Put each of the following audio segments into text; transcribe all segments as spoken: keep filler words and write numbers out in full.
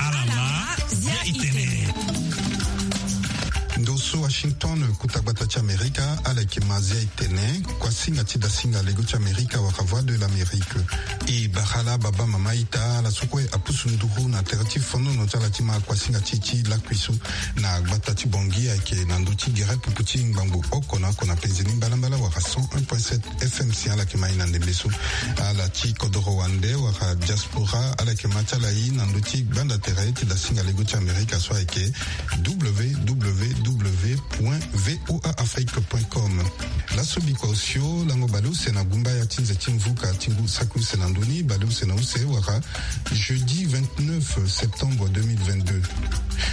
Alama, zia itene. Ndo so Washington, kuta gbata ti Amerika, ala yeke ma zia itene. Kuasinga ti dasinga lego ti Amerika wala Voix de l'Amérique. E bara ala baba mama ita, ala so kue apusu nduru na tere ti fonono ti ala ti ma kuasinga ti e ti lakui so na gbata ti Bangui ayeke na ndö ti gere pupu ti ngbangbo oko na oko na penze ni mbalambala wala cent un point sept F M si ala yeke ma e na ndembe so. Ala ti kodoro wande wala diaspora, ala yeke ma ti ala e na ndö ti gbanda tere ti dasinga lego ti Amerika so ayeke W W W point V O A Afrique point com. Laso bikua osio lango baleuse na gumba ya ti nze ti mvuka ti ngu saki use na ndö ni, baleuse na use wala jeudi vingt-neuf septembre deux mille vingt-deux.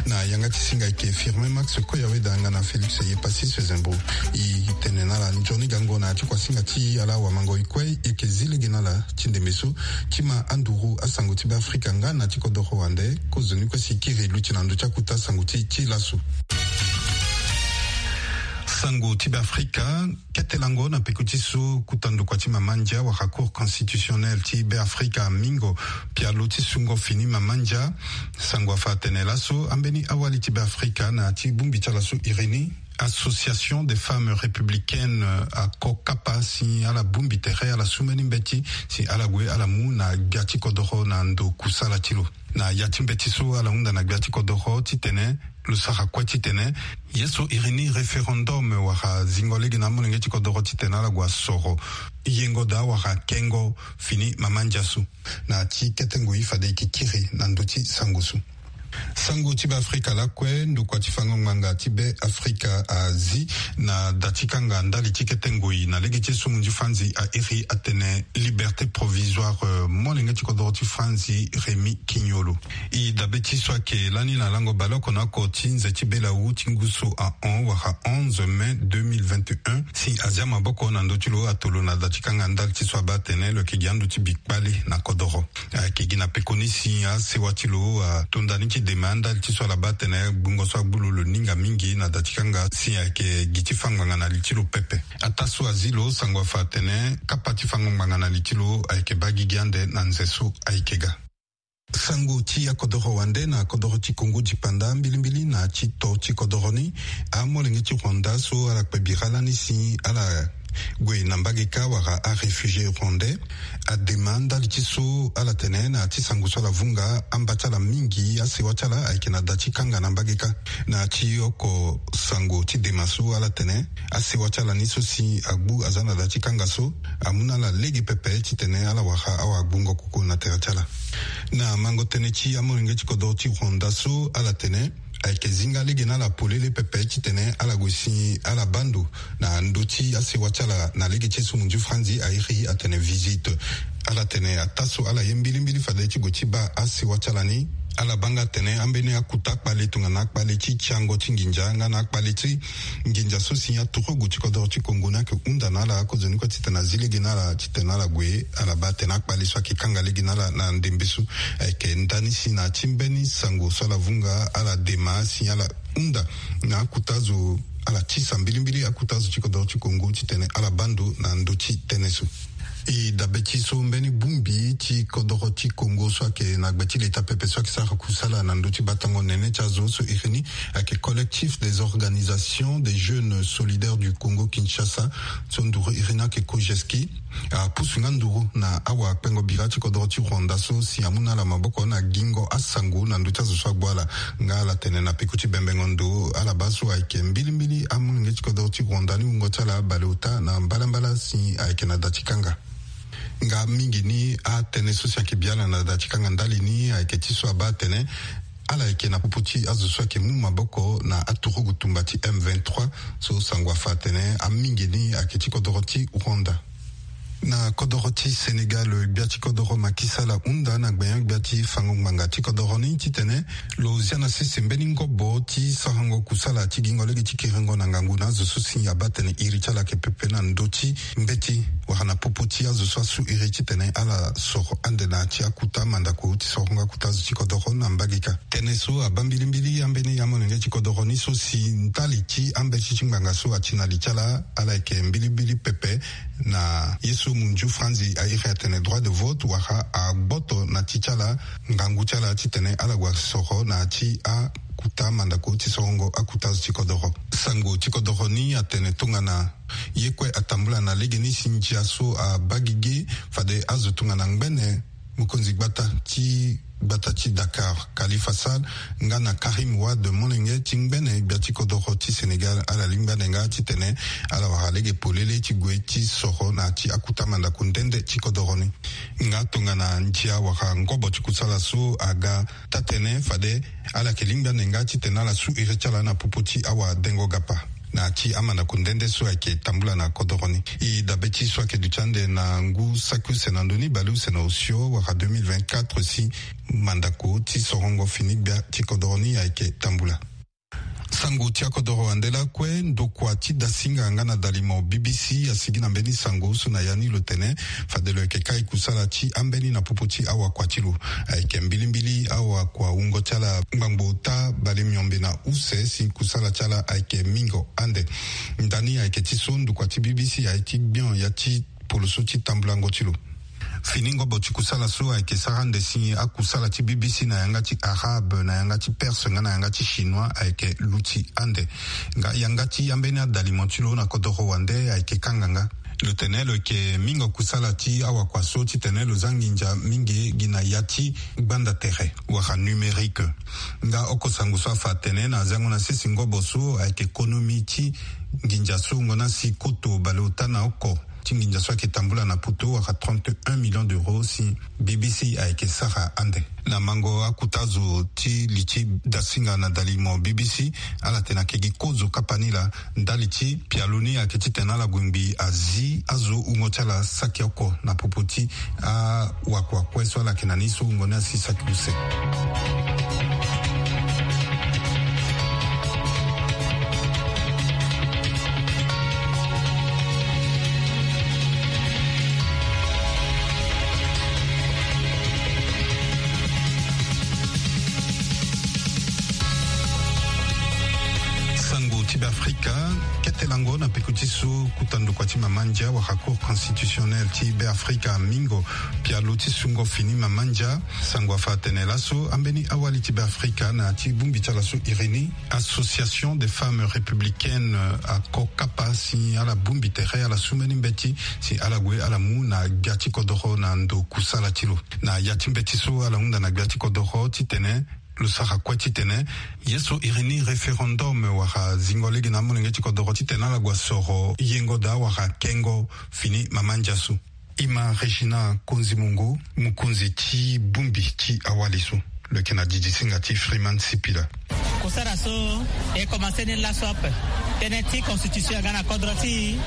Na yanga ti singa ayeke Firmin Max Koyaweda nga na Félix Yepassis Sezembo. E tene na ala nzoni gango na ya ti kuasinga ti ala wamangoi kue e yeke zi lege na ala ti ndembe so ti ma anduru asango ti Beafrika nga na ti kodoro wande. Kozoni kue si e kiri luti na ndö ti akuta sango ti e ti laso. Sango ti Beafrika. Kete lango na peko ti so kuta ndokua ti mama ndia wala Cour constitutionnelle ti Beafrika amingo pialo ti sungo fini mama ndia. Sango afa atene laso ambeni awali ti Beafrika na ya ti bongbi ti ala so iri ni Association des Femmes Républicaines, euh, ako kapa si ala bongbi tere, ala su mbeni mbeti si ala gue ala mu na gbia ti kodoro na ndo kusala ti lo. Na ya ti mbeti so ala hunda na gbia ti kodoro titene lo sara kue titene ye so iri ni référendum wala zingo lege na amolenge ti kodoro titene ala gue asoro yengo daa wala kengo fini mama ndia so. Na ya ti kete ngoi fade e yeke kiri na ndö ti sango so. Sango ti Beafrika lakue, ndokua ti fango ngbanga ti Beafrika azi na da ti kanga ndali ti kete ngoi na lege ti esumu ti Franzi a iri atene liberté provisoire, euh, molenge ti kodoro ti Franzi Rémy Quignolo. E dabe ti so ayeke lani na lango baleoko na oko ti nze ti belawu ti ngu so ahon wala onze mai deux mille vingt et un si azia maboko na ndö ti lo ato lo na da ti kanga ndali ti so abaa atene lo yeke gi ando ti bi kpale na kodoro. Ayeke gi na pekoni si asewa ti lo ato ndani ti dema ndali ti so ala baa atene gbungo so agbu lo lo ninga mingi na da ti kanga si ayeke gi ti fango ngbanga na li ti lo pepe. Ataa so azi lo sango afa atene kapa ti fango ngbanga na li ti lo ayeke baa gigi ande na nze so ayeke ga. Sango ti akodoro wande na kodoro ti Congo dipanda mbilimbili na ti to ti kodoro ni. Amolenge ti Rwanda so ala kpe bira lani si ala gue na mbage kâ wala aréfugié rwandais adema ndali ti so ala tene na ya ti sango so ala vunga amba ti ala mingi asewa ti ala ayeke na da ti kanga na mbage kâ. Na ya ti oko sango ti dema so ala tene asewa ti ala ni so si agbu aza na da ti kanga so amu na ala lege pepe titene ala wara awagbungo koko na tere ti ala. Na mango tënë ti amolenge ti kodoro ti Rwanda so ala tene ayeke zinga lege na ala polele pepe titene ala gue si ala baa ndo na ndö ti asewa ti ala na lege ti esumu ti Franzi a iri atene visite. Ala tene ataa so ala ye mbilimbili fade ti gue ti baa asewa ti ala ni, ala baa nga atene ambeni akuta akpale tongana akpale ti tiango ti nginza nga na akpale ti nginza so si aturugu ti kodoro ti Congo ni ayeke hunda na ala. Akozoni kue titene azi lege na ala titene ala gue, ala baa atene akpale so ayeke kanga lege na ala na ndembe so. Ayeke ndani si na ya ti mbeni sango so ala vunga ala dema si ala hunda na akuta azo, ala tisa mbilimbili akuta azo ti kodoro ti Congo titene ala baa ndo na ndö ti tënë so. E dabe ti so mbeni bongbi ti kodoro ti Congo so ayeke na gbe ti leta pepe so ayeke sara kusala na ndö ti batango nene ti azo so iri ni ayeke Collectif des organisations des jeunes solidaires du Congo Kinshasa, so nduru iri ni ayeke COJESCI, apusu nga nduru na awakpengo bira ti kodoro ti Rwanda so si amu na ala maboko na gingo asango na ndö ti azo so agbu ala. Nga ala tene na peko ti bembengo ndo ala baa so ayeke mbilimbili amolenge ti kodoro ti Rwanda ni wungo ti ala baleota na mbalambala si ayeke na da ti kanga. Nga mingi ni atënë so si ayeke bi ala na da ti kanga ndali ni ayeke ti so abaa atene ala yeke na popo ti azo so ayeke mu maboko na aturugu tumba ti M vingt-trois so sango afa atene amingi ni ayeke ti kodoro ti Rwanda. Na kodoro ti Sénégal, gbia ti kodoro Macky Sall ahunda na gbenyo-gbia ti fango ngbanga ti kodoro ni titene lo zia na sese mbeni ngobo ti sarango kusala ti gingo lege ti kiringo na ngangu na azo so si abaa atene iri ti ala ayeke pepe na ndö ti mbeti. wala na popo ti azo so asu iri titene ala soro ande na ya ti akuta mandako ti sorongo akuta azo ti kodoro na mbage kâ. Tënë so abaa mbilimbili ambeni amolenge ti kodoro ni so si ndali ti ambeti ti ngbanga so ati na li ti ala, ala yeke mbilimbili pepe na ye so munzu franzi airi atene droit de vote wala agboto na ti ti ala ngangu ti ala titene ala gue soro na ya ti akuta mandako ti sorongo akuta azo ti kodoro. Sango ti kodoro ni atene tongana ye kue atambula na legeni si ndia so abaa gigi, fade azo tongana ngbene mokonzi gbata ti gbata ti Dakar, Khalifa Sall, nga na Karim Wade, molenge ti ngbene gbia ti kodoro ti Sénégal, ala lingbi ande nga titene ala wara lege polele ti gue ti soro na ya ti akuta mandako nde nde ti kodoro ni. Nga tongana ndia wala ngobo ti kusala so aga taa-tënë, fade ala yeke lingbi ande nga titene ala su iri ti ala na popo ti awadengo gapa na ya ti amandako nde nde so ayeke tambula na kodoro ni. E dabe ti so ayeke duti ande na ngu saki use na ndö ni bale use na osio wala deux mille vingt-quatre si mandako ti sorongo fini gbia ti kodoro ni ayeke tambula. Sango ti akodoro wande lakue, ndokua ti dasinga nga na dalimo B B C asigi na mbeni sango so na ya ni lo tene fade lo yeke kai kusala ti ambeni na popo ti awakua ti lo. Ayeke mbilimbili awakua wungo ti ala ngbangbo ota bale miombe na use si kusala ti ala ayeke mingo ande. Ndani ayeke ti so ndokua ti B B C aye ti gbion ya ti poloso ti tambulango ti lo. Fini ngobo ti kusala so ayeke sara ande si akusala ti B B C na yanga ti arabe, na yanga ti perse nga na yanga ti chinois ayeke luti ande. Nga yanga ti ambeni adalimo ti lo na kodoro wande ayeke kanga nga. Lo tene lo yeke mingo kusala ti awakua so titene lo za nginza mingi gi na ya ti gbanda tere wala numérique. Nga oko sango so afa atene na zango na sese ngobo so ayeke konomi ti nginza so wungo na si koto baleota na oko ti nginza so ayeke tambula na poto wala trente et un millions d'euros si B B C ayeke sara ande. Na mango akuta zo ti li ti dasinga na dalimo B B C, ala tene ayeke gi kozo kapa ni laa ndali ti pialo ni ayeke titene ala gue ngbii azi azo wungo ti ala saki oko na popo ti awakua kue so ala yeke na ni so wungo ni asi saki use. Sango ti Beafrika. Kete lango na peko ti so kuta ndokua ti mama ndia wala Cour constitutionnelle ti Beafrika mingo pialo ti sungo fini mama ndia. Sango afa atene laso ambeni awali ti Beafrika na ya ti bongbi ti ala so iri ni, Association des Femmes Républicaines, ako kapa si ala bongbi tere, ala su mbeni mbeti si ala gue ala mu na gbia ti kodoro na ndo kusala ti lo. Na ya ti mbeti so ala hunda na gbia ti kodoro titene lo sara kue titene ye so iri ni référendum wala zingo lege na amolenge ti kodoro titene ala gue soro yengo daa wala kengo fini mama ndia so. Ima Regina Konzi Mongo, mokonzi ti bongbi ti awali so, lo yeke na didisinga ti Freeman Sipila. Kusara so e komanse ni laso ape. Tënë ti constitution aga na kodro ti e,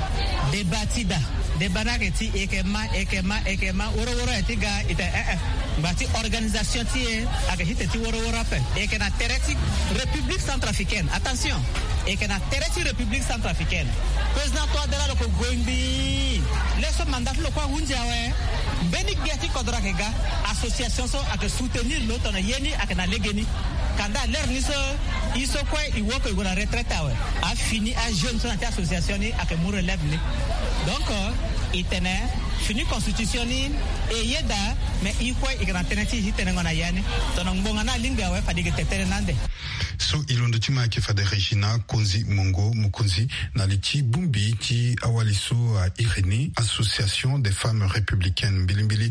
débat ti da. Débat ni ayeke ti e yeke ma, e yeke ma, e yeke ma, woro woro aye ti ga, e tene eh eh. Ngba ti organisation ti e ayeke ti tene ti woro woro ape. E yeke na tere ti République centrafricaine. Attention. E yeke na tere ti République centrafricaine. Président Touadéra lo yeke gue ngbii. Laso mandat ti lo kue ahundi awe. Mbeni gbia ti kodro ayeke ga. Association so ayeke soutenir lo tongana ye ni ayeke na legeni. Kanda lere ni so, e so kue e woko e gue na retraite awe. Afini ajeune so na ya ti association ni ayeke mu relève ni. Donc, e tene fini constitution ni e yeda, mais e kue e yeke na tënë ti e ti tenengo na ya ni. Tongana ngbonga ni alingbi awe, fade e yeke tene tënë ni ande. So e londo ti ma ayeke fade Regina Konzi Mongo, mokonzi na li ti bongbi ti awali so a iri ni, Association des Femmes Républicaines. Mbilimbili.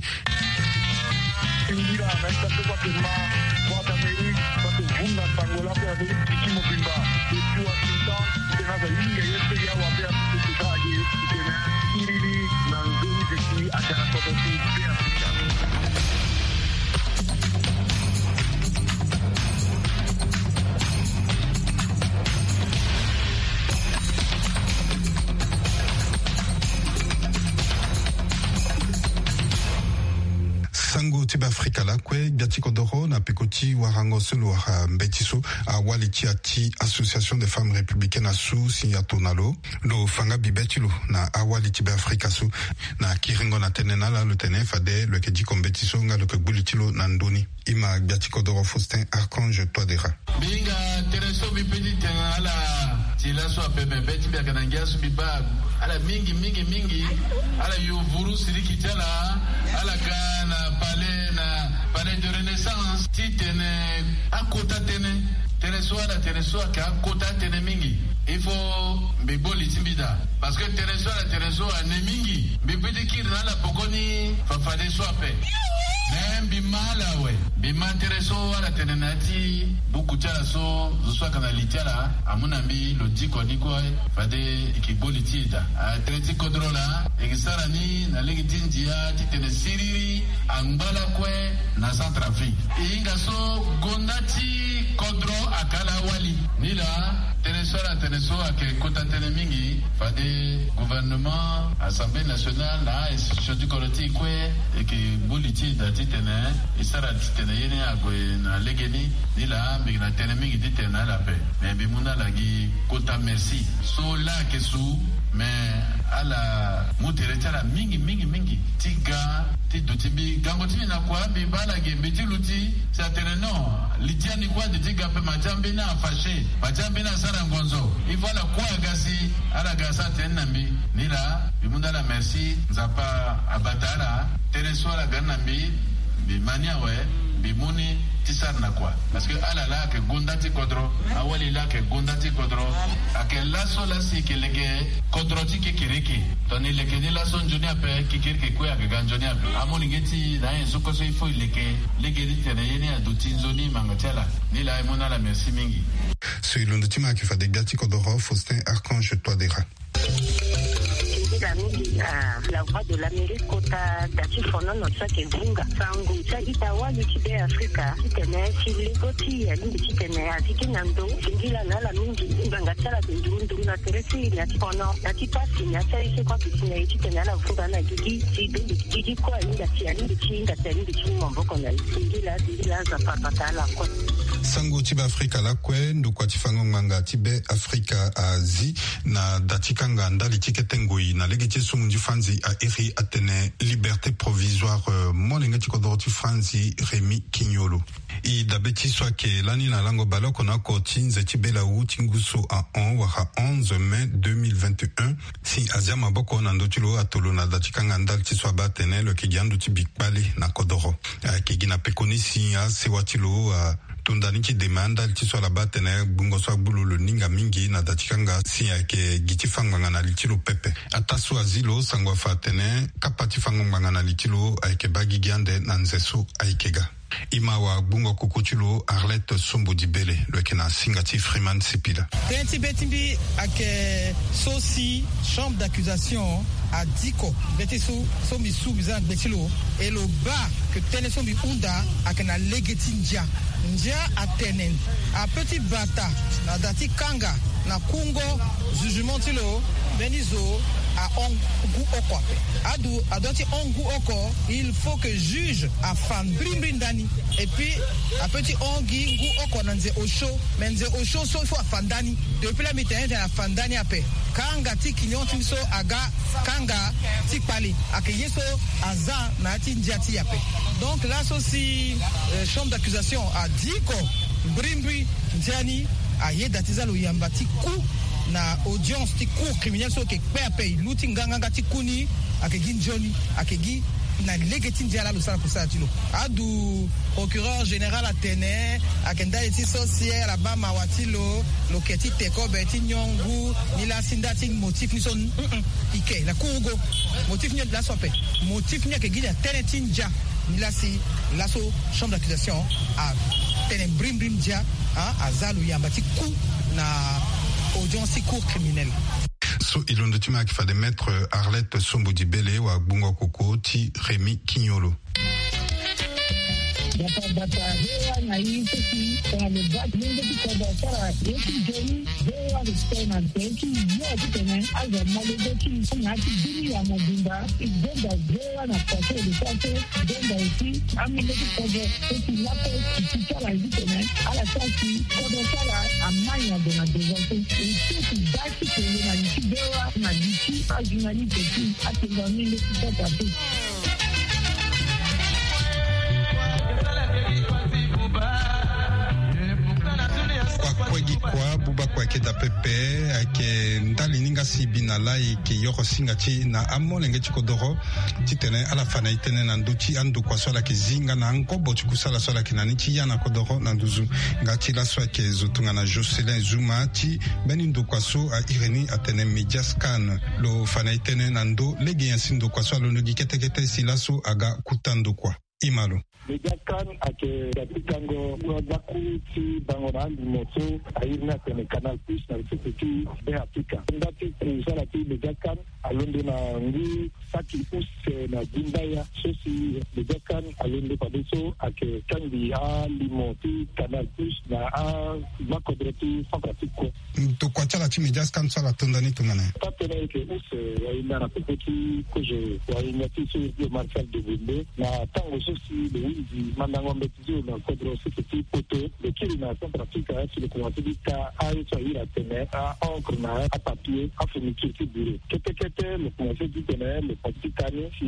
Sango Be afrika lakue gbia ti kodoro na peko ti warango so lo wara mbeti so awali ti ati association des femmes républicaines asu si ato na lo lo fa nga bibe ti lo na awali ti be afrika so. Na kiringo na tënë na ala lo tene fade lo yeke diko mbeti so nga lo yeke gbu li ti lo na ndoni. Ima gbia ti kodoro Faustin Archange Touadera. Mbi hinga tënë so mbi pe ti tene na ala ti laso ape me be ti mbi ayeke na ngia so mbi baa ala mingi mingi mingi. Ala yo vuru siriki ti ala. Ala ga na palais na palais de renaissance ti tene akota tënë. Tënë so ala tene so ayeke akota tënë mingi. Il faut mbi gbo li ti mbi daa. Parce que tënë so ala tene so ane mingi. Mbi pe ti kiri na ala poko ni fa fadeso ape. Me mbi ma ala awe. Mbi ma tere so ala tene na ya ti buku ti ala so zo so ayeke na li ti ala amu na mbi lo diko ni kue. Fade e ke gbo li ti e daa. Atere ti kodro laa e ke sara ni na lege ti ndia titene siriri angba lakue na Centrafrique. E hinga so gonda ti kodro ayeke ala awali. Ni laa tënë so ala tene so ayeke kota tënë mingi. Fade gouvernement, assemblée nationale na a-institution ti kodro ti e kue e ke gbu li ti e daa titene e sara titene ye ni ague na legeni. Ni laa mbi yeke na tënë mingi titene na ala ape. Me mbi mu na ala gi kota merci so laa ayeke su. Me ala mu tere ti ala mingi mingi mingi ti ga ti duti mbi gango ti mbi na kua mbi baa ala gi mbi ti luti. Si atene non, li ti ani kue ade ti ga ape ma ti ambeni afache ma ti ambeni asara ngonzo. Il faut ala kue aga si ala ga asara tënë na mbi. Ni laa mbi mu na ala merci. Nzapa abata ala. Tënë so ala ga ni na mbi mbi ma ni awe. Mbi mu ni ti sara na kua. Parce que ala laa ayeke gonda ti kodro. Awali laa ayeke gonda ti kodro. Ayeke laso laa si e ke leke kodro ti kekereke. Tongana e leke ni laso nzoni ape kekereke kue ayeke ga nzoni ape. Amolenge ti e na anyen so kue so il faut e leke lege ti tene ye ni aduti nzoni manga ti ala. Ni laa e mu na ala merci mingi. So e londo ti ma ayeke fade gbia ti kodoro Faustin Archange Touadera. Singila mingi na La Voix de l'Amérique kota da ti fonono so ayeke vunga sango ti a-ita wali ti Be Afrika titene si lego ti e alingbi titene azi gi na ndo. Singila na ala mingi ngbanga ti ala ayeke nduru nduru na tere ti e na ti fono na ti pasi na ti aye so kue ayeke si na e titene ala vunga na gigi si donde gigi kue ahinga si alingbi ti hinga si alingbi ti mu maboko na e. Singila singila Nzapa abata ala kue. Sango ti Be Afrika lakue ndokua ti fango ngbanga ti Be Afrika azi na da ti kanga ndali ti kete ngoi na lege ti so munzi fanzi a iri atene liberté provisoire. Molenge ti kodoro ti fanzi Rémy Quignolo. E dabe ti so ayeke lani na lango baleoko na oko ti nze ti belawu ti ngu so ahon wala onze mai deux mille vingt et un si azia maboko na ndö ti lo ato lo na da ti kanga ndali ti so abaa atene lo yeke gi ando ti bi kpale na kodoro. Ayeke gi na pekoni si asewa ti lo ato ndani ti dema ndali ti so ala baa atene gbungo so agbu lo lo ninga mingi na da ti kanga si ayeke gi ti fa ngbanga na li ti lo pepe. Ataa so azi lo sango afa atene kapa ti fango ngbanga na li ti lo ayeke baa gigi ande na nze so ayeke ga. Ima wa gbungo koko ti lo Arlette Sombo Dibele lo yeke na singa ti Freeman Sipila. Tënë ti be ti mbi ayeke so si chambre d'accusation adiko be ti so so mbi su mbi za na gbe ti lo. E lo baa ke tënë so mbi hunda ayeke na lege ti ndia. Ndia atene ape ti bata na da ti kanga na kungo jugement ti lo. Mbeni zo ahon ngu oko ape. Adu adua ti hon ngu oko. Il faut que juge afa mbrimbri ndani. Et puis ape ti hon gi ngu oko na nze osio. Mais nze osio so il faut afa ndani. Depuis la mbi tene tene afa ndani ape. Kanga ti kignon ti mbi so aga kanga ti kpale. Ayeke ye so aza na ya ti ndia ti e ape. Donc laso si chambre d'accusation adiko mbrimbri ndia ni ayeda ti za lo yamba ti ku na audience ti cour criminelle so ayeke kpe ape. E lu ti nganganga ti ku ni. Ayeke gi nzoni ayeke gi na lege ti ndia laa lo sara kusala ti lo. Adu procureur général atene ayeke ndali ti so si ala baa mawa ti lo. Lo yeke ti te kobe ti nyon ngu ni laa si nda ti motif ni so. Ike na kurugo motif ni laso ape. Motif ni ayeke gi na tënë ti ndia. Ni laa si laso chambre d'accusation atene mbrimbri ndia. Aza lo yamba ti ku na audience ti cour criminelle. So e londo ti ma ayeke fade maître Arlette Sombo Dibele wa gbungo koko ti Rémy Quignolo. Bata bata, V O A na i so si tongana lo baa ti lenge ti kodro asara ye ti nzoni, V O A respect na nzoni ti yo titene azo amolenge ti i na ya ti bini ya mobimba. I zonza V O A na façon de façon, i zonza aussi amolenge ti kodro so si laso i ti sara ye titene ala sara si kodro ti ala amai na ndo na devant so. I so si baa ti kele na li ti V O A na li ti ajournaliste ti atenda amolenge ti kodro ape. Kua kue gi kua, buba kue ayeke daa pepe. Ayeke ndali ni nga si e bi na laa e yeke yoro singa ti e na amolenge ti kodoro titene ala fa na e tënë na ndö ti andokua so ala yeke zi nga na angobo ti kusala so ala yeke na ni ti ya na kodoro na nduzu. Nga ti laso ayeke zo tongana Jocelyn Zuma ti mbeni ndokua so a iri ni atene Mediascan. Lo fa na e tënë na ndö lege nyen si ndokua so alondo gi kete kete si laso aga kuta ndokua. Imalo. Mediascan ayeke ga ti kango ngbakuru ti bango na alimo so a iri ni atene Canal Plus na sese ti Be Afrika. Nda ti kusala ti Mediascan alondo na ngu saki use na gimbaya so si Mediascan alondo fade so ayeke kangbi alimo ti Canal Plus na agbakodro ti Centrafrique kue. Ndokua ti ala ti Mediascan so ala tonda ni tongana nyen? Taa-tënë ayeke use wahinda na popo ti kozo wahinda ti so iri ti lo Martial Degonde na tango so si lo hunzi mandango mbeti ti lo na kodro sese ti Poto. Lo kiri na Centrafrique si lo komanse ti ka aye so a iri atene a-encre na apapier, afourniture ti bureau. Kete kete lo komanse titene lo komanse ti ka ni si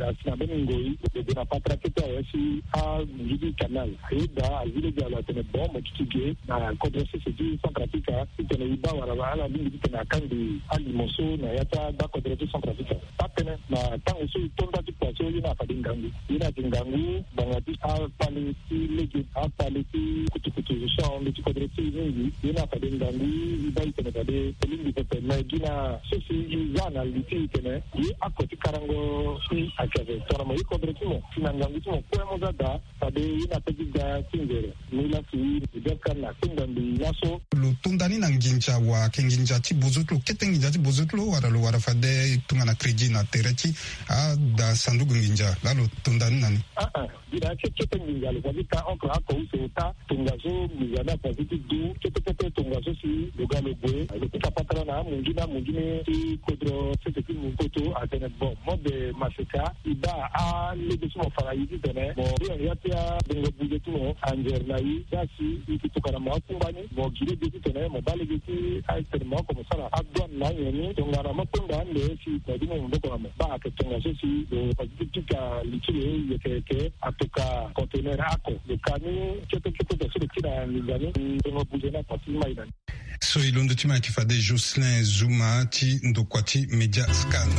asi na mbeni ngoi lo gue na patara kete awe si amunzu ti kanal. Ayeda azi lege na lo atene bon mo duti ge na kodro sese ti Centrafrique titene e baa wala ala lingbi titene akangbi alimo so na ya ti agbakodro ti Centrafrique. Atene na tango so e to nda ti kua so ye ni afade ngangu. Ye ni ayeke ngangu ngbanga ti akpale ti lege, akpale ti kutukutu so ahon ndö ti kodro ti e mingi. Ye ni afade ngangu e baa e tene fade e lingbi pepe. Me gi na so si e za na li ti e tene ye ako ti karango si ayeke ape tongana mo ye kodro ti mo si na ngangu ti mo kue mo za daa. Fade ye ni ape ti ga ti nzere. Ni laa si Mediascan akpengba mbi laso. Lo tonda ni na nginza wa ayeke nginza ti bozo ti lo, kete nginza ti bozo ti lo, wala lo wara fade tongana crédit na tere ti ada sanduku nginza laa lo tonda ni na ni? Aa, gi na ya ti kete nginza lo fa ti ka encre ako use ota tongaso nginza ni afa ti du kete kete tongaso si lo ga lo gue lo pika patara na amunzu ni, amunzu ni ti kodro sese ti Poto atene bon, mode maseka e baa alege so mo fa na e titene mo iri ya ti abongo buze ti mo anzere na e. Za si e yeke tokua na mo akungba ni, mo gi lege titene mo baa lege ti atene mo oko mo sara adouane na anyen ni. Tongana mo kpengba ande si mo du mo maboko na mo baa ayeke tongaso si lo fa ti pika li ti lo yeke yeke atoka conteneur ako. Lo ka ni kete kete so lo kiri na nginza ni, mbongo buze ni afa ti mai na ni. So e londo ti ma ayeke fade Jocelyn Zuma ti ndokua ti Mediascan.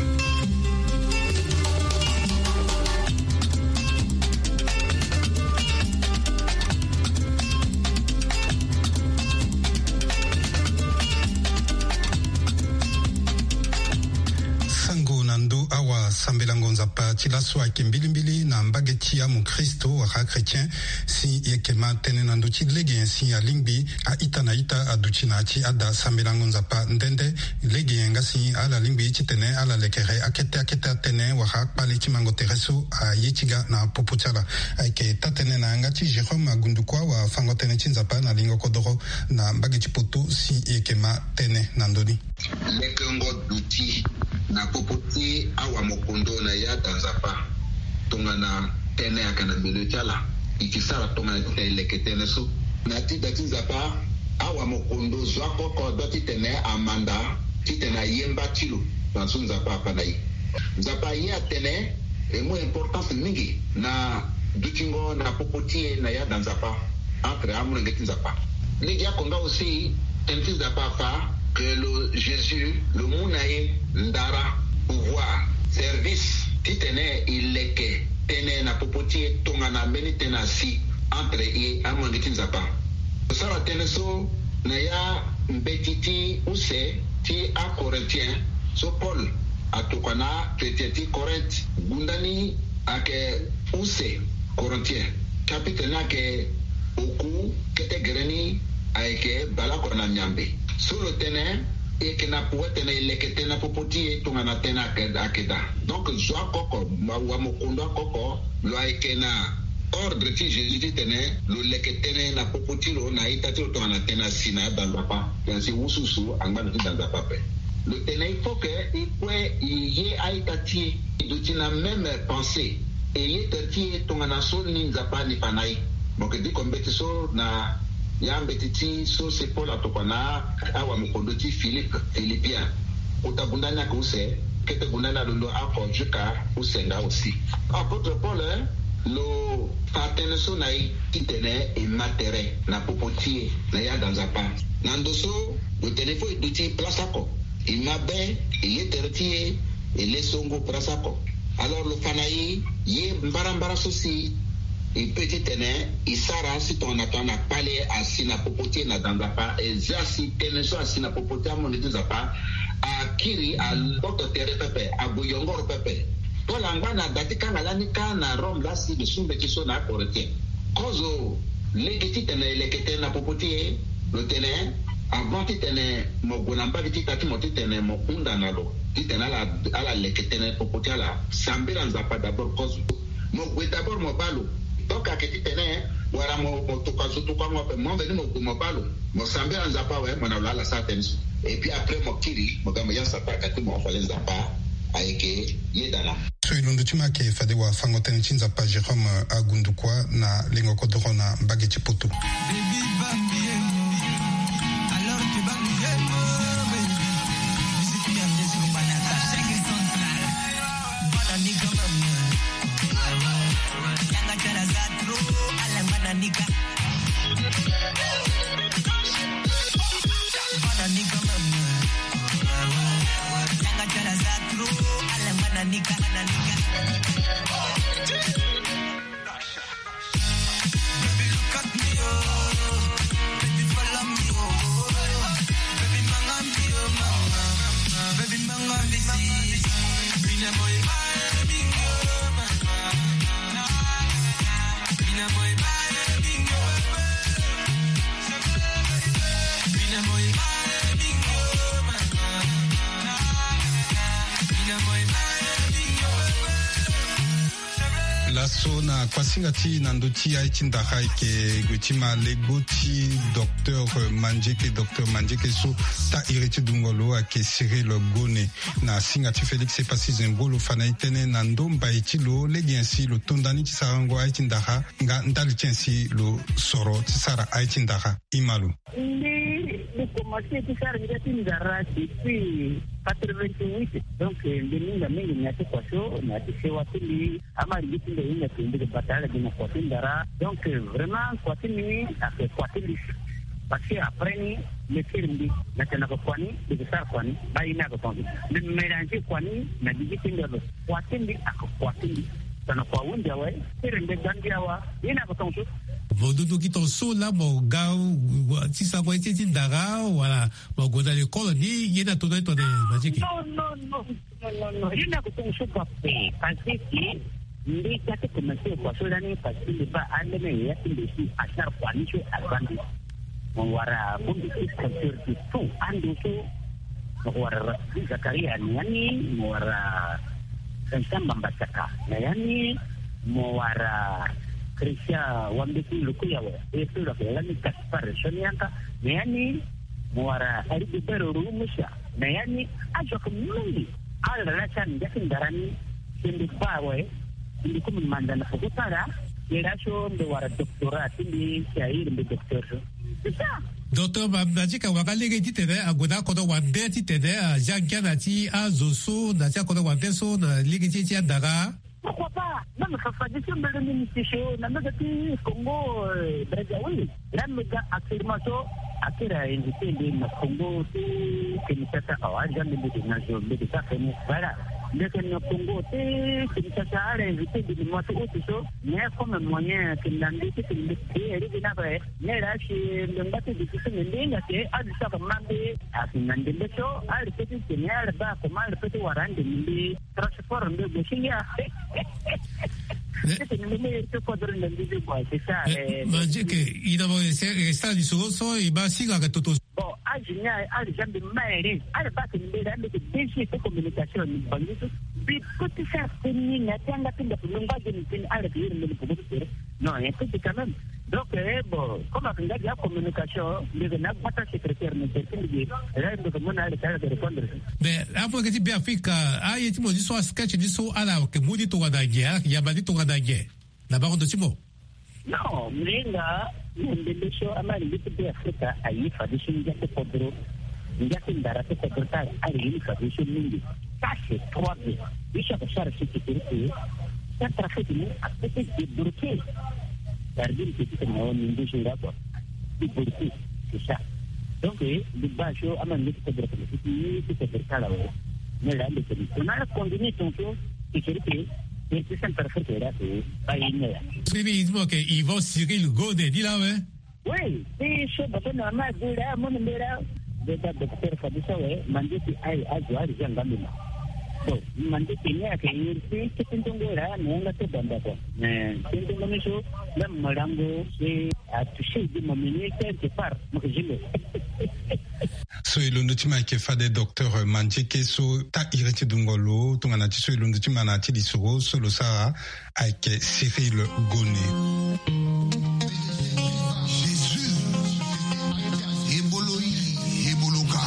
Sango na ndö awasambelango Nzapa ti laso ayeke mbilimbili na mbage ti amokristo wala achrétien. Si e yeke ma tënë na ndö ti lege nyen si alingbi a-ita na ita aduti na ya ti ada sambelango Nzapa nde nde. Lege nyen nga si ala lingbi titene ala lekere akete akete atënë wala akpale ti mango tere so aye ti ga na popo ti ala. Ayeke taa-tënë na yanga ti Jérôme Agundukua, wafango-tënë ti Nzapa na lingo kodoro na mbage ti Poto, si e yeke ma tënë na ndö ni. Lekengo duti na popo ti awamokondo na ya da Nzapa. Tongana tënë ayeke na milieu ti ala, e ke sara tongana titene e leke tënë so. Na ti da ti Nzapa, awamokondo zo oko oko doit titene amanda titene aye mba ti lo. Tongana so Nzapa afa na e, Nzapa aye atene e mu importance mingi na dutingo na popo ti e na ya da Nzapa. Entre amolenge ti Nzapa. Lege oko nga aussi, tënë ti Nzapa afa que lo Jésus lo mu na e ndara, pouvoir, service titene e leke tënë na popo ti e tongana mbeni tënë asi entre e amolenge ti Nzapa. Lo sara tënë so na ya mbeti ti use ti aCorinthiens so Paul atokua na achrétien ti Corinthe. Gunda ni ayeke use, Corinthiens. Chapitre ni ayeke oku, kete gere ni ayeke baleoko na miambe. So lo tene e yeke na pouvoir titene e leke tënë na popo ti e tongana tënë ayeke, ayeke daa. Donc zo oko oko, wamokondo oko oko, lo ayeke na Ordre ti Jésus titene lo leke tënë na popo ti lo na a-ita ti lo tongana tënë asi na ada Nzapa. Tënë asi wusuwusu angba na ti da Nzapa ape. Lo tene il faut que e kue e ye a-ita ti e, e duti na même pensée, e ye tere ti e tongana so ni Nzapa ni fa na e. Mo yeke diko mbeti so na ya mbeti ti so se Paul atokua na awamokondo ti Philippe, Philippien. Kota gunda ni ayeke use, kete gunda ni alondo oko jusqu'à use nga aussi. Apôtre Paul, eh, lo fa tënë so na e titene e ma tere na popo ti e na ya da Nzapa. Na ndo so lo tene fo e duti place oko, e ma be, e ye tere ti e, e le songo place oko. Alors lo fa na e ye mbarambara so si e peut titene e sara si tongana tongana kpale asi na popo ti e na da Nzapa, e zia si tënë so asi na popo ti amonde ti Nzapa akiri, agboto tere pepe, ague yongoro pepe. Paul angba na da ti kanga lani kâ na Rome laa si lo su mbeti so na aKorinthien. Kozo lege titene e leke tënë na popo ti e, lo tene, avant titene mo gue na mbage ti ita ti mo titene mo hunda na lo titene ala, ala leke tënë popo ti ala, sambela Nzapa d'abord kozo. Mo gue d'abord mo baa lo. Donc ayeke titene wala mo, mo tokua zo tokuango ape, mo veni mo gue mo baa lo, mo sambela Nzapa awe, mo na lo ala sara tënë so. Et puis après mo kiri mo ga mo ya Nzapa ayeke ti mo, fade Nzapa ayeke yeda na. So e londo ti mo ayeke fade wafango-tënë ti Nzapa Jérôme Agundukua na lengo kodoro na mbage ti Poto. Laso na kuasinga ti na ndö ti aye ti ndara ayeke gue ti ma lego ti docteur Mandieke, docteur Mandieke so taa iri ti dungo lo ayeke Cyril Gone. Na singa ti Félix Epassi Zembro lo fa na e tënë na ndö mbai ti lo lege nyen si lo to nda ni ti sarango aye ti ndara, nga ndali ti nyen si lo soro ti sara aye ti ndara. Ima lo. Mbi, mbi komanse ti sara ngia ti ndara depuis quatre-vingt-huit. Donc, eh, mbi mingi mingi na ya ti kua so, na ya ti sewa ti mbi. Ama lege ti mbi ahinga ti mbi yeke bata ala gi na kua ti ndara. Donc, eh, vraiment, kua ti mbi ni ayeke kua ti mbi. Parce que après ni, mbi kiri mbi, na tene na yeke kua ni, mbi yeke sara kua ni, baa ye ni ayeke tongaso. Mbi mélanger kua ni na gigi ti mbi ado. Kua ti mbi ayeke kua ti mbi. Tongana kua ahunzi awe, ti rende gbangbi awa, ye ni ayeke tongaso. Mo dudu gi tongaso laa mo ga, wa, ti sarango ye ti, ti ndara, wala mo gue na lekole ni, ye ni ato na ye tongana Mandieke? Non, non, non, non, non, non. Ye ni ayeke tongaso ga ape, parce que mbi ga ti komanse kua so lani, parce que mbi baa alene ya ti mbi si asara kua ni so aza mbi. Mo wara bongbi ti culture ti tout ando so. Mo wara Racine Zakaria na ya ni, mo wara Vincent Mbamba Saka na ya ni, mo wara Christian Wambeti Lukuyawe, e so lo yeke lani Gaspard Sonianka na ya ni, mo wara Rigobert Rumusa na ya ni. Azo ayeke mingi. Ala laa ti ala na ngia ti ndara ni. Si mbi baa awe, mbi kue mbi manda na peko ti ala. Ye laa so mbi wara doctorat ti mbi, si a iri mbi docteur so. C'est ça. Docteur Ma-, Mandieke awara lege titene ague na akodro wande titene azia ngia na ya ti azo so, na ya ti akodro wande so na lege ti, ti andara. Pourquoi pas? Même Fafa Diouf so mbele ni mbi ti so na mbage ti Congo, euh, Brazzaville. Là, mbi ga actuellement so, akiri a invité mbi na Congo ti Kinshasa awa, aza mbi, mbi yeke na zo, mbi yeke sara tënë. Voilà. Mbi yeke na Congo ti Kinshasa, ala invité mbi na mois ti août so, mais comme moyen ayeke na mbi titene mbi créer lege ni ape. Mais là, si mbi ngba ti duti so, mbi hinga si azo so ayeke ma mbi, ayeke na ndembe so, ala peut ti tene, ala baa comment ala peut ti wara andembe mbi. Transport mbi gue ti ngia. Eh, titene mbi me iri ti kodro na mbi ti kua, c'est ça, eh, eh, Mandieke, e na mo e sara lisoro so e ma singa ayeke toto. Bon, age ni aye, ala zia mbi ma ere. Ala baa tene mbi laa mbi yeke D G ti communication na Bangui so. Puis, petit frère, c'est ni na ti anga ti ndoku, lo ngba ge ni ti ni, ala ti yere mbeni popo ti tere. Non, il y a un truc quand même. Donc, eh, bon, comme aka nga dia communication, ndege na gbata secrétaire, mais c'est une idée. Là, il me demande à aller répondre. Mais, afu ayeke ti Be Afrika, aye ti mo ni so, asketch ni so, ala yeke mu ni tongana nyen, ala yeke yamba ni tongana nyen? Na bango ndo ti mo. Non, mbi hinga na ndembe so, ama lenge ti Be Afrika aye fadeso ngia ti kodro, ngia ti ndara ti kodro ti ala, ala ye ni fadeso mingi. Ça, c'est trois bien. Biso aka sara si ti kiri ti Centrafrique ni apeut ti débloquer. Gardien petit na wa ni nduzu nga, quoi. Débloquer, c'est ça. Donc, eh, mbi baa so ama lenge ti kodro ti, ti kodro ti ala awe. Mais là, le, on a continué ton tour. Ti kiri ti, ti, ti Centrafrique là, c'est pas une heure. Sini, il dit que Yvan Cyril Gone, dit là, ouais. Oui, ti so bato na ma di la, mo na mbela. Beta docteur fadeso awe, Mandieke aye azo ari za ngambi ma. Bon, Mandieke ni ayeke iri ti kete ndongo la, na yanga ti banda, quoi. Mais kete ndongo ni so, même malango, c'est à toucher de ma mini quelque part, mo ke jimbe. So e londo ti ma ayeke fade docteur Mandieke so taa iri ti dungo lo, tongana ti so e londo ti ma na ya ti lisoro so lo sara ayeke Cyril Gone. Jésus, ebolo iri, ebolo ka.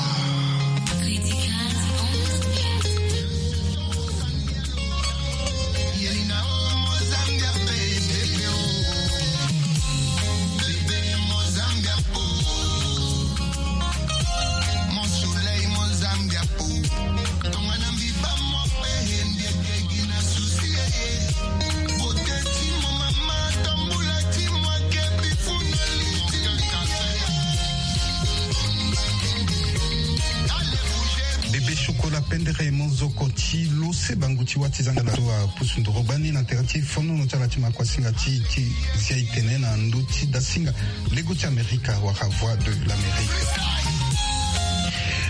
Bébé Chocolat, pendere mo zoko ti lo se bangu ti wa ti zanga la so apusu ndoro gbani na tere ti fonono ti ala ti makuasinga ti, ti zia e tene na ndö ti dasinga lego ti Amerika wala Voix de l'Amérique.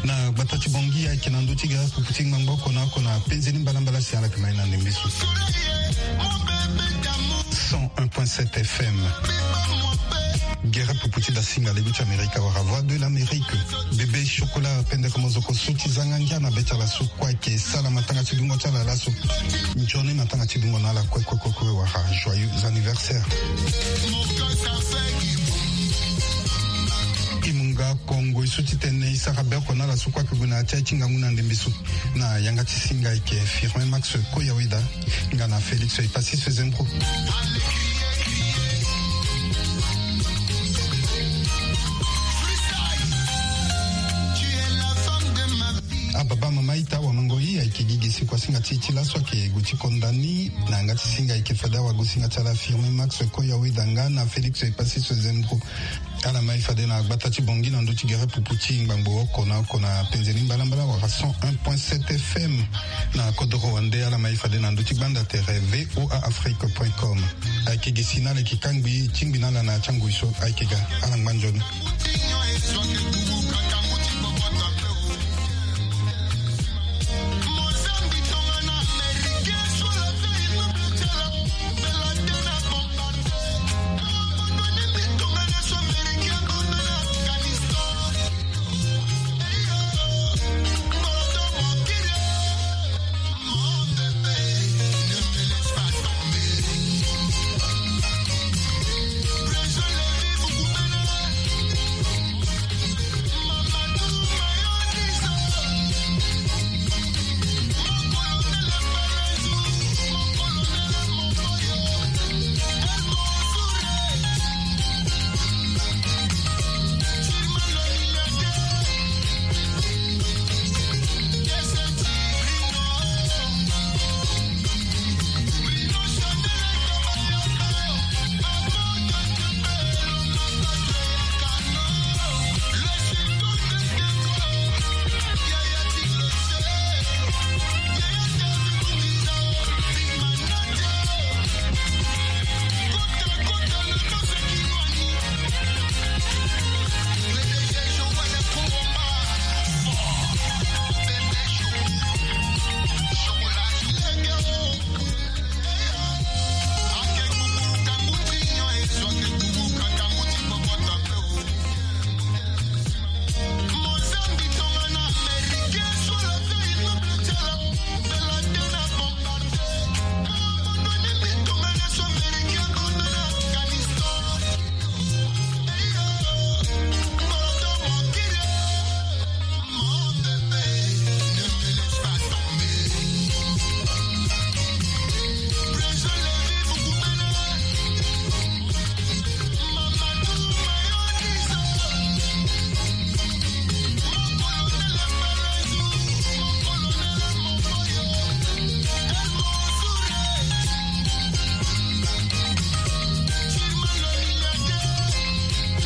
Na gbata ti Bangui ayeke na ndö ti gere pupu ti ngbangbo oko na oko na penze ni mbalambala si ala yeke ma ye na ndembe so. Cent un point sept F M. Gere pupu ti dasinga lego ti Amerika wala Voix de l'Amérique. Bébé Chocolat, pendere mo zoko so ti zanga ngia na be ti ala so kue ayeke sara matanga ti dungo ti ala laso. Nzoni matanga ti dungo na ala kue kue kue kue wala joyeux anniversaire. E mu nga kongo e so ti tene e sara be oko na ala so kue ayeke gue na ya ti aye ti ngangu na ndembe so. Na yanga ti singa ayeke Firmin Max Koyaweda nga na Félix Epassis Zembro. Ababa mama ita wamango i ayeke gi gi si kuasinga ti e ti laso ayeke gue ti konda ni. Na yanga ti singa ayeke fade awagosinga ti ala Firmin Max Koyaweda nga na Félix Epassis Zembro. Ala ma e fade na gbata ti Bangui na ndö ti gere pupu ti ngbangbo oko na oko na penze ni mbalambala wala cent un point sept F M. Na kodoro wande ala ma e fade na ndö ti gbanda tere V O A Afrique point com. Ayeke gi si na ala yeke kangbi tingbi na ala na ya ti angoi so ayeke ga. Ala ngba nzoni.